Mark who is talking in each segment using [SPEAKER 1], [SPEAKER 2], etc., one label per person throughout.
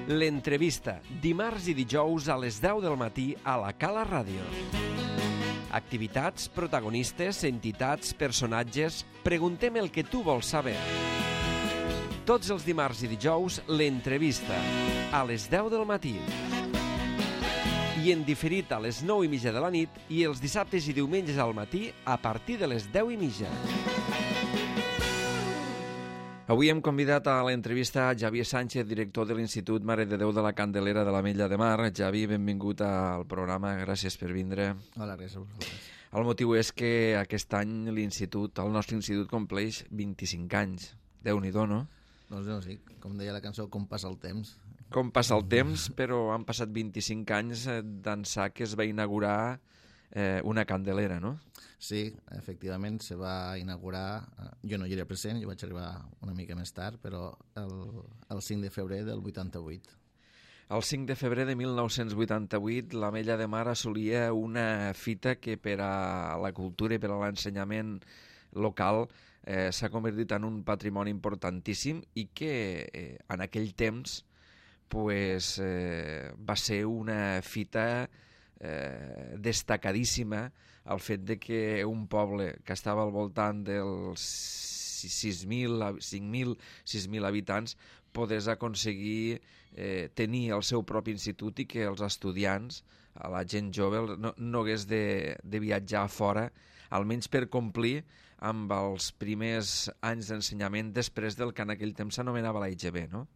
[SPEAKER 1] L'entrevista, dimarts i dijous a les 10 del matí a la Cala Ràdio. Activitats, protagonistes, entitats, personatges... Preguntem el que tu vols saber. Tots els dimarts i dijous, l'entrevista, a les 10 del matí. I en diferit a les 9:30 de la nit i els dissabtes i diumenges al matí a partir de les 10:30. Avui hem convidat a l'entrevista Xavier Sánchez, director de l'Institut Mare de Déu de la Candelera de l'Ametlla de Mar. Xavi, benvingut al programa, gràcies per vindre.
[SPEAKER 2] Hola, gràcies a vosaltres.
[SPEAKER 1] El motiu és que aquest any el nostre institut compleix 25 anys. Déu-n'hi-do, no?
[SPEAKER 2] Doncs no, sí, com deia la cançó, com passa el temps.
[SPEAKER 1] Com passa el temps, però han passat 25 anys d'ençà que es va inaugurar una candelera, no?
[SPEAKER 2] Sí, efectivament, se va inaugurar... Jo no hi era present, jo vaig arribar una mica més tard, però el 5 de febrer del 88.
[SPEAKER 1] El 5 de febrer de 1988 l'Ametlla de Mar assolia una fita que per a la cultura i per a l'ensenyament local s'ha convertit en un patrimoni importantíssim i que en aquell temps va ser una fita destacadíssima el fet de que un poble que estava al voltant dels 5.000, 6.000 habitants podés aconseguir tenir el seu propi institut i que els estudiants, la gent jove, no hagués de viatjar a fora, almenys per complir amb els primers anys d'ensenyament després del que en aquell temps s'anomenava la IGB, no?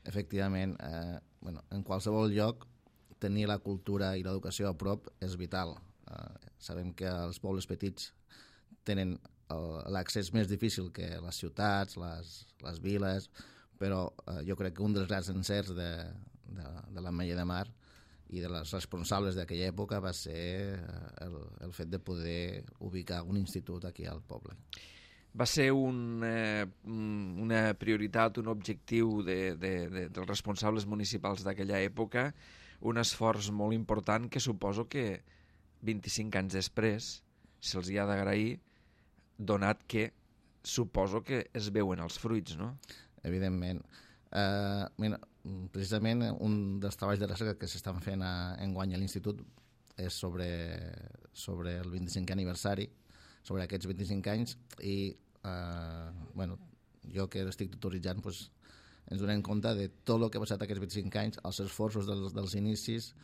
[SPEAKER 2] Efectivament, en qualsevol lloc tenir la cultura i l'educació a prop és vital. Sabem que els pobles petits tenen l'accés més difícil que les ciutats, les viles, però jo crec que un dels grans encerts de l'Ametlla de Mar i de les responsables d'aquella època va ser el fet de poder ubicar un institut aquí al poble.
[SPEAKER 1] Va ser una prioritat, un objectiu dels responsables municipals d'aquella època, un esforç molt important que suposo que 25 anys després se'ls hi ha d'agrair, donat que suposo que es veuen els fruits, no?
[SPEAKER 2] Evidentment. Mira, precisament un dels treballs de recerca que s'estan fent enguany a l'Institut és sobre el 25è aniversari, sobre aquests 25 anys, i jo que estic tutoritzant ens donem compte de tot el que ha passat aquests 25 anys, els esforços dels inicis,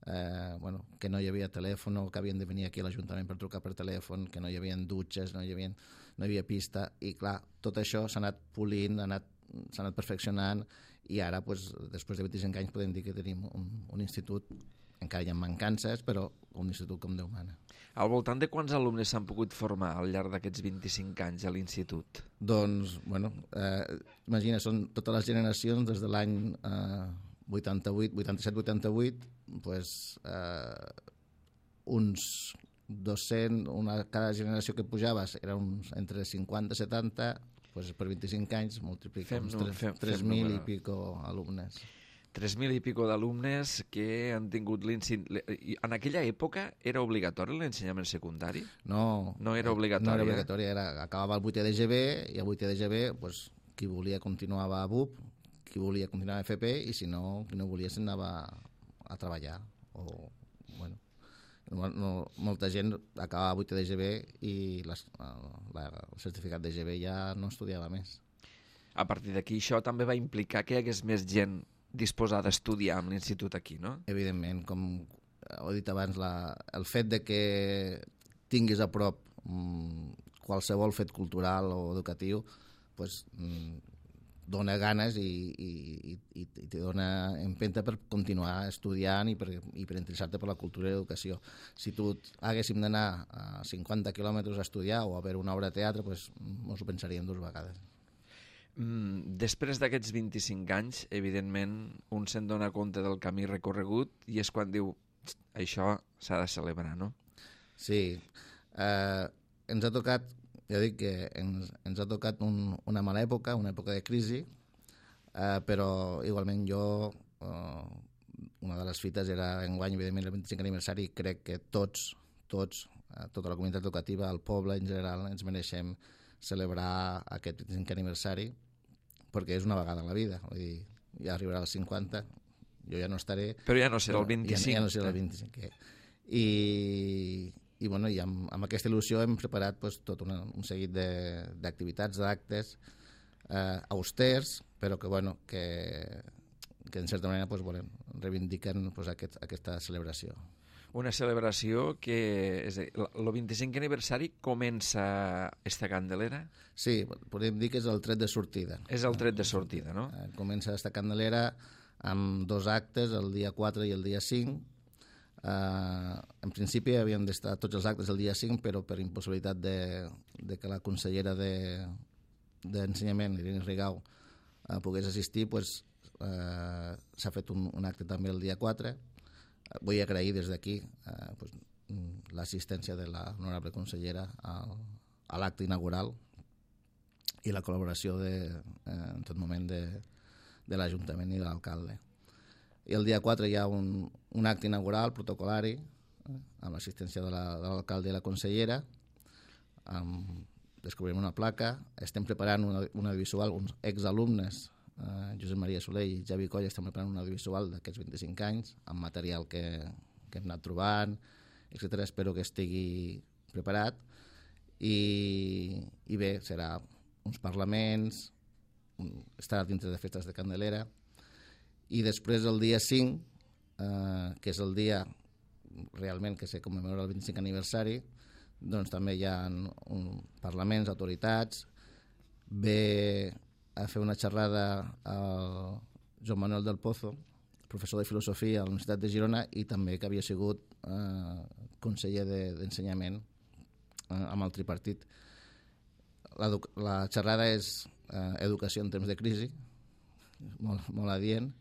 [SPEAKER 2] que no hi havia telèfon, que havien de venir aquí a l'Ajuntament per trucar per telèfon, que no hi havia dutxes, no hi havia pista, i clar, tot això s'ha anat polint, s'ha anat perfeccionant, i ara, després de 25 anys, podem dir que tenim un institut, encara hi ha mancances, però un institut com Déu mana.
[SPEAKER 1] Al voltant de quants alumnes s'han pogut formar al llarg d'aquests 25 anys a l'institut?
[SPEAKER 2] Doncs, imagina, són totes les generacions des de l'any 87-88, uns 200, cada generació que pujaves era entre 50 i 70, per 25 anys multipliquem 3.000 i pico alumnes.
[SPEAKER 1] 3.000 i pico d'alumnes que han tingut En aquella època era obligatori l'ensenyament secundari?
[SPEAKER 2] No
[SPEAKER 1] era obligatori.
[SPEAKER 2] No era obligatori, acabava el 8è d'EGB i el 8è d'EGB qui volia continuava a BUP, qui volia continuar a FP i si no, qui no volia se'n anava a treballar. Molta gent acabava 8è d'EGB i el certificat d'EGB ja no estudiava més.
[SPEAKER 1] A partir d'aquí això també va implicar que hi hagués més gent disposada a estudiar amb l'institut aquí, no?
[SPEAKER 2] Evidentment, com he dit abans, el fet de que tinguis a prop qualsevol fet cultural o educatiu dona ganes i te dona empenta per continuar estudiant i per interessar-te per la cultura i l'educació. Si haguéssim d'anar a 50 quilòmetres a estudiar o a veure una obra de teatre, ens ho pensaríem dues vegades.
[SPEAKER 1] Després d'aquests 25 anys, evidentment, un se'n dona compte del camí recorregut i és quan diu, això s'ha de celebrar, no?
[SPEAKER 2] Sí. Ens ha tocat, ja dic que ens ha tocat una mala època, una època de crisi, però igualment una de les fites era enguany, evidentment, el 25 aniversari, i crec que tota la comunitat educativa, el poble en general, ens mereixem celebrar aquest 25 aniversari perquè és una vegada a la vida. Vull dir, ja arribarà als 50, jo ja no estaré.
[SPEAKER 1] Però ja no serà el 25.
[SPEAKER 2] Ja no serà el 25. I bueno, i amb aquesta il·lusió hem preparat pues, tot un seguit d'activitats, d'actes austers, però que, bueno, que en certa manera pues, reivindiquen pues, aquesta celebració.
[SPEAKER 1] Una celebració que, és a dir, el 25 aniversari comença esta Candelera?
[SPEAKER 2] Sí, podem dir que és el tret de sortida.
[SPEAKER 1] És el tret de sortida, no?
[SPEAKER 2] Comença esta Candelera amb 2 actes, el dia 4 i el dia 5. En principi havien d'estar tots els actes el dia 5, però per impossibilitat de que la consellera d'Ensenyament, Irene Rigau, pogués assistir, pues, s'ha fet un acte també el dia 4. Vull agrair des d'aquí pues, l'assistència de l'honorable consellera a l'acte inaugural i la col·laboració en tot moment de l'Ajuntament i de l'alcalde. I el dia 4 hi ha un acte inaugural protocolari amb l'assistència de l'alcalde i la consellera. Descobrirem una placa. Estem preparant un audiovisual, uns exalumnes, Josep Maria Soler i Javi Coll, estem preparant un audiovisual d'aquests 25 anys amb material que hem anat trobant, etc. Espero que estigui preparat i bé, serà uns parlaments, estarà dintre de festes de Candelera, i després el dia 5, que és el dia realment que se commemora el 25 aniversari, doncs també hi ha parlaments, autoritats. Ve a fer una xerrada al Joan Manuel del Pozo, professor de filosofia a la Universitat de Girona i també que havia sigut conseller d'Ensenyament amb el tripartit. La xerrada és educació en temps de crisi, molt adient,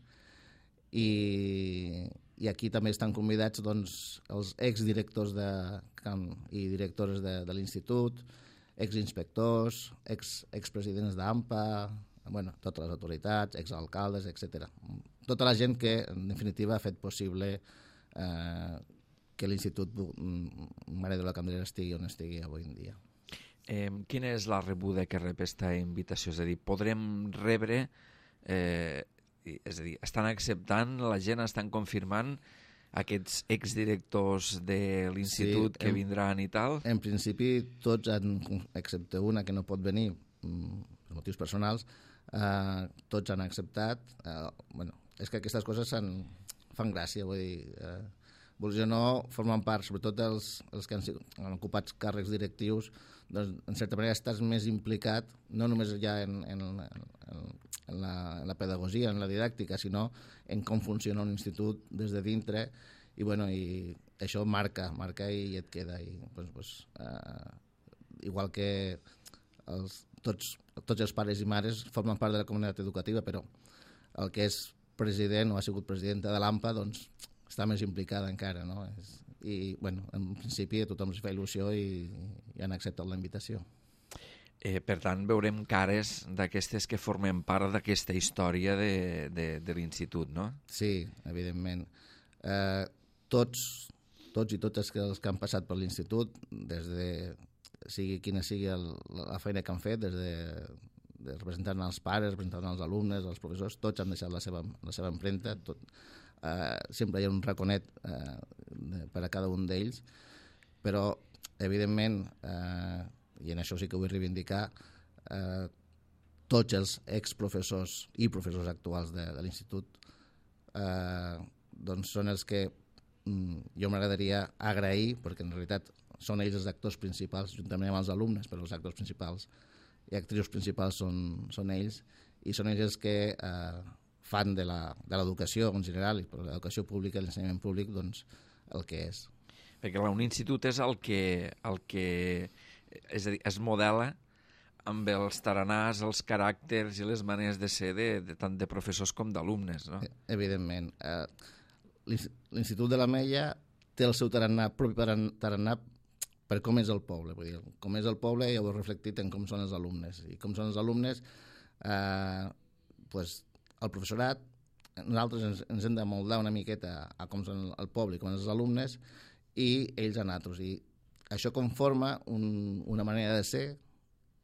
[SPEAKER 2] i aquí també estan convidats doncs, els exdirectors i directores de l'institut, exinspectors, expresidents d'AMPA, bueno, totes les autoritats, exalcaldes, etc. Tota la gent que, en definitiva, ha fet possible que l'Institut Mare de la Candelera estigui on estigui avui en dia.
[SPEAKER 1] Quina és la rebuda que rep aquesta invitació? És a dir, podrem rebre... és a dir, estan acceptant, la gent estan confirmant aquests exdirectors de l'institut que vindran i tal?
[SPEAKER 2] En principi, tots, excepte una que no pot venir per motius personals, tots han acceptat. Bueno, és que aquestes coses fan gràcia, vull dir, vols o no, formen part, sobretot els que han ocupat càrrecs directius, doncs, en certa manera estàs més implicat, no només ja en la pedagogia, en la didàctica, sinó en com funciona un institut des de dintre, i bueno, i això marca i et queda. I, igual que tots els pares i mares formen part de la comunitat educativa, però el que és president o ha sigut presidenta de l'AMPA doncs, està més implicada encara, no? I, bueno, en principi a tothom es fa il·lusió i han acceptat la invitació.
[SPEAKER 1] Per tant, veurem cares d'aquestes que formen part d'aquesta història de l'institut, no?
[SPEAKER 2] Sí, evidentment. Tots i totes els que han passat per l'institut, des de sigui quina sigui la feina que han fet, des de representant els pares, representant els alumnes, els professors, tots han deixat la seva empremta, sempre hi ha un raconet per a cada un d'ells, però evidentment, i en això sí que vull reivindicar, tots els exprofessors i professors actuals de l'institut doncs són els que jo m'agradaria agrair, perquè en realitat són ells els actors principals, juntament amb els alumnes, però els actors principals i actrius principals són ells, i són ells els que fan de l'educació en general, i per l'educació pública, l'ensenyament públic, doncs el que és.
[SPEAKER 1] Perquè un institut és el que és a dir, es modela amb els taranars, els caràcters i les maneres de ser tant de professors com d'alumnes, no?
[SPEAKER 2] Evidentment. L'Institut de l'Ametlla té el seu tarannà, propi tarannà per com és el poble. Vull dir, com és el poble ja ho he reflectit en com són els alumnes. I com són els alumnes, pues, el professorat, nosaltres ens hem de moldar una miqueta a com són el poble i com són els alumnes, i ells a nosaltres. I això conforma una manera de ser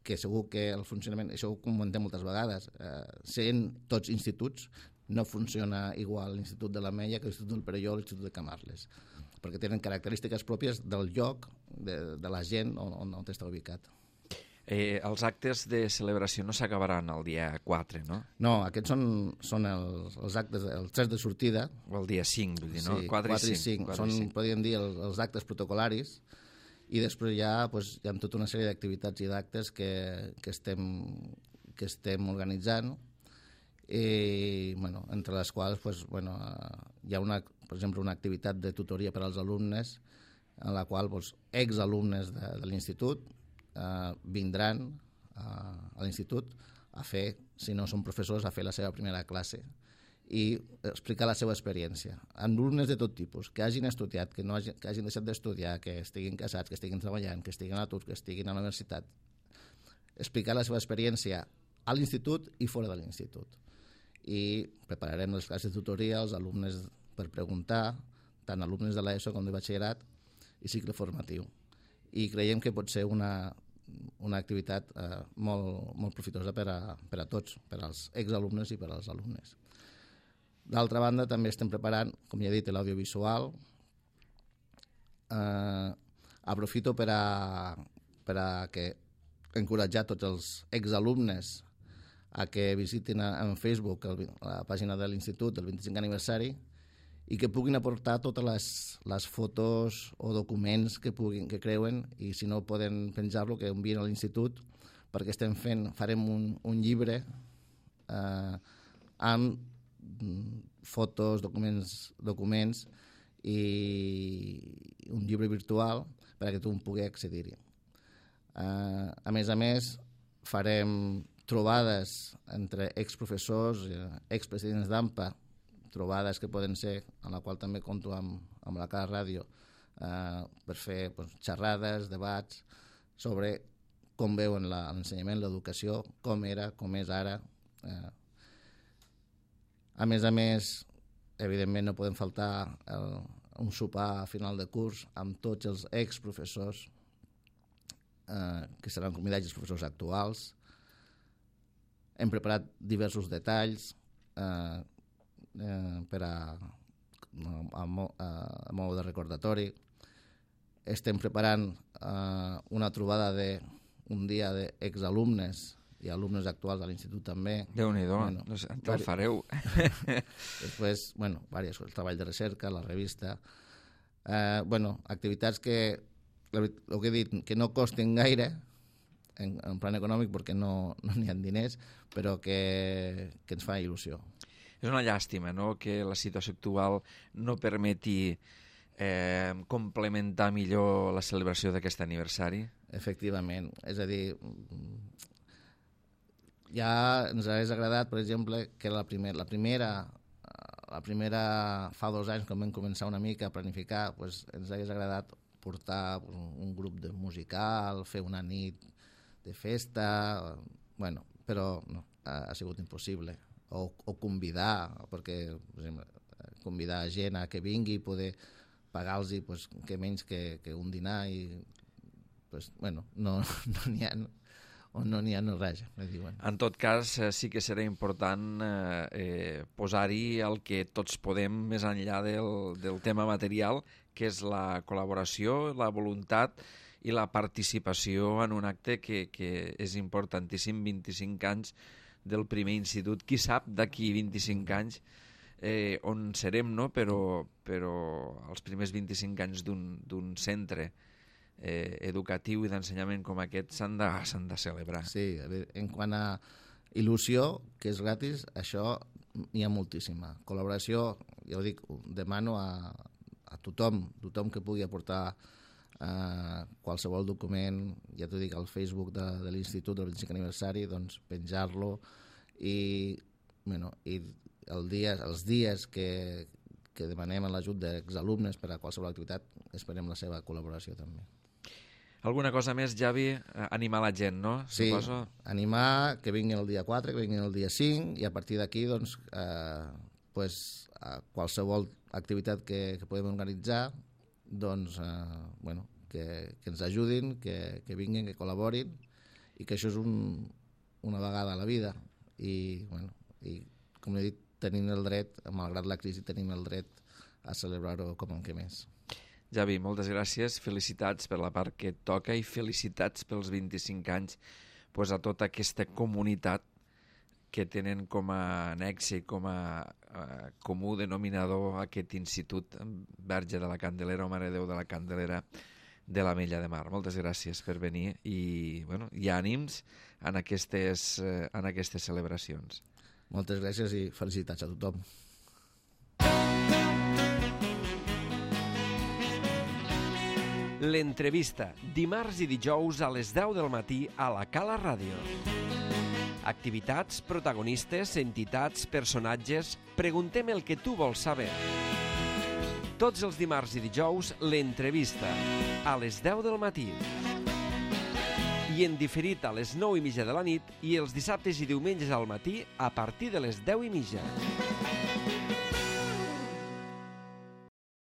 [SPEAKER 2] que segur que el funcionament, això ho comentem moltes vegades, sent tots instituts, no funciona igual l'Institut de l'Ametlla que l'Institut del Perelló o l'Institut de Camarles, perquè tenen característiques pròpies del lloc, de la gent on està ubicat.
[SPEAKER 1] Els actes de celebració no s'acabaran el dia 4, no?
[SPEAKER 2] No, aquests són els actes, els 3 de sortida.
[SPEAKER 1] O el dia 5, vull dir, no?
[SPEAKER 2] Sí,
[SPEAKER 1] 4 i 5.
[SPEAKER 2] Són, podríem dir, els actes protocolaris, i després hi ha tota una sèrie d'activitats i d'actes que estem organitzant, i, entre les quals hi ha per exemple, una activitat de tutoria per als alumnes, en la qual exalumnes de l'institut vindran a l'institut a fer, si no són professors, a fer la seva primera classe i explicar la seva experiència. Alumnes de tot tipus, que hagin estudiat, que hagin deixat d'estudiar, que estiguin casats, que estiguin treballant, que estiguin a l'atur, que estiguin a la universitat. Explicar la seva experiència a l'institut i fora de l'institut. I prepararem les classes de tutoria als alumnes per preguntar, tant alumnes de l'ESO com de batxillerat i cicle formatiu. I creiem que pot ser una activitat molt profitosa per a tots, per als exalumnes i per als alumnes. D'altra banda, també estem preparant, com ja he dit, l'audiovisual. Aprofito per a encoratjar tots els exalumnes a que visitin en Facebook la pàgina de l'Institut del 25 aniversari i que puguin aportar totes les fotos o documents que creuen, i si no poden penjar-lo, que envien a l'Institut, perquè farem un llibre amb fotos, documents i un llibre virtual per a que tothom pugui accedir-hi. A més, farem trobades entre exprofessors, expresidents d'AMPA, trobades que poden ser, en la qual també compto amb la Cara Ràdio, per fer xerrades, debats sobre com veuen l'ensenyament, l'educació, com era, com és ara. A més, evidentment no podem faltar un sopar a final de curs amb tots els exprofessors que seran convidats, els professors actuals. Hem preparat diversos detalls a mode de recordatori. Estem preparant una trobada d'un dia d'exalumnes i alumnes actuals a l'institut també.
[SPEAKER 1] Déu-n'hi-do, el fareu.
[SPEAKER 2] Després, diverses coses, el treball de recerca, la revista. Activitats que, el que he dit, que no costen gaire en plan econòmic perquè no n'hi ha diners, però que ens fa il·lusió.
[SPEAKER 1] És una llàstima, no?, que la situació actual no permeti complementar millor la celebració d'aquest aniversari.
[SPEAKER 2] Efectivament, és a dir, ja ens hauria agradat, per exemple, que la primera fa 2 anys, quan vam començar una mica a planificar, ens hauria agradat portar un grup de musical, fer una nit de festa, però no, ha sigut impossible. O convidar, perquè, per exemple, convidar gent a que vingui i poder pagar-los que menys que un dinar i no n'hi ha o no n'hi ha no res.
[SPEAKER 1] En tot cas, sí que serà important posar-hi el que tots podem més enllà del tema material, que és la col·laboració, la voluntat i la participació en un acte que és importantíssim. 25 anys del primer institut, qui sap d'aquí 25 anys on serem, no? Però els primers 25 anys d'un centre educatiu i d'ensenyament com aquest s'han de celebrar.
[SPEAKER 2] Sí, en quant a il·lusió, que és gratis, això n'hi ha moltíssima. Col·laboració, ja ho dic, demano a tothom que pugui aportar qualsevol document, ja t'ho dic, al Facebook de l'Institut del 25 aniversari, doncs penjar-lo i els dies que demanem l'ajut d'exalumnes per a qualsevol activitat, esperem la seva col·laboració també.
[SPEAKER 1] Alguna cosa més, Javi? Animar la gent, no?
[SPEAKER 2] Sí,
[SPEAKER 1] suposo.
[SPEAKER 2] Animar que vinguin el dia 4, que vinguin el dia 5, i a partir d'aquí, doncs, qualsevol activitat que podem organitzar, doncs, que ens ajudin, que vinguin, que col·laborin, i que això és una vegada a la vida. I com he dit, tenim el dret, malgrat la crisi, tenim el dret a celebrar-ho com en què més.
[SPEAKER 1] Javi, moltes gràcies, felicitats per la part que et toca i felicitats pels 25 anys a tota aquesta comunitat que tenen com a nexe i com a comú denominador aquest institut Verge de la Candelera o Mare de Déu de la Candelera de l'Ametlla de Mar. Moltes gràcies per venir i ànims en aquestes celebracions.
[SPEAKER 2] Moltes gràcies i felicitats a tothom.
[SPEAKER 3] L'entrevista, dimarts i dijous a les 10 del matí a la Cala Ràdio. Activitats, protagonistes, entitats, personatges... Preguntem el que tu vols saber. Tots els dimarts i dijous, l'entrevista, a les 10 del matí. I en diferit a les 9:30 de la nit i els dissabtes i diumenges al matí a partir de les 10:30.